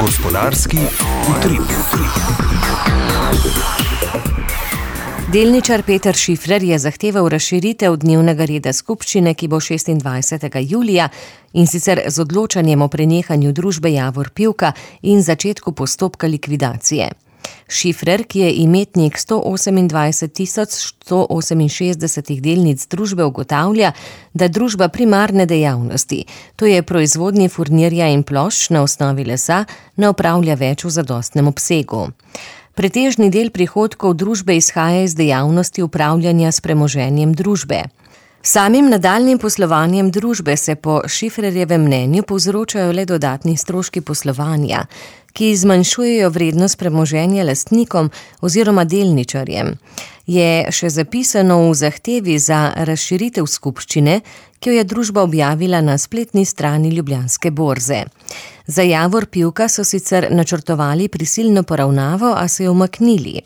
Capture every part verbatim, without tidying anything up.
Gospodarski utrip. Delničar Peter Šifrer je zahteval razširitev dnevnega reda skupščine, ki bo šestindvajsetega julija, in sicer z odločanjem o prenehanju družbe Javor Pivka in začetku postopka likvidacije. Šifrer, ki je imetnik sto osemindvajset tisoč sto oseminšestdeset delnic družbe, ugotavlja, da družba primarne dejavnosti, to je proizvodnji furnirja in plošč na osnovi lesa, ne opravlja več v zadostnem obsegu. Pretežni del prihodkov družbe izhaja iz dejavnosti upravljanja s premoženjem družbe. Samim nadaljnjim poslovanjem družbe se po Šifrerjevem mnenju povzročajo le dodatni stroški poslovanja, ki zmanjšujejo vrednost premoženja lastnikom oziroma delničarjem. Je še zapisano v zahtevi za razširitev skupščine, ki jo je družba objavila na spletni strani Ljubljanske borze. Za Javor Pivka so sicer načrtovali prisilno poravnavo, a so jo umaknili.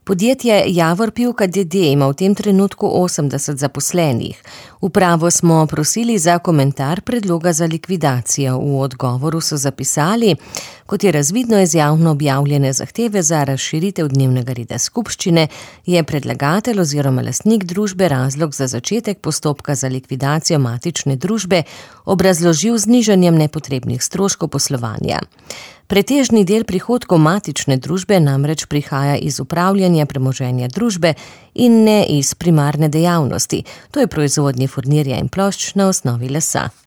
Podjetje Javor Pivka d. d. ima v tem trenutku osemdeset zaposlenih. Upravo smo prosili za komentar predloga za likvidacijo. V odgovoru so zapisali, kot je razvidno iz javno objavljene zahteve za razširitev dnevnega reda skupščine, je predlagatelj oziroma lastnik družbe razlog za začetek postopka za likvidacijo matične družbe obrazložil z znižanjem nepotrebnih stroškov poslovanja. Pretežni del prihodkov matične družbe namreč prihaja iz upravljanja premoženja družbe in ne iz primarne dejavnosti, to je proizvodnje furnirja in plošč na osnovi lesa.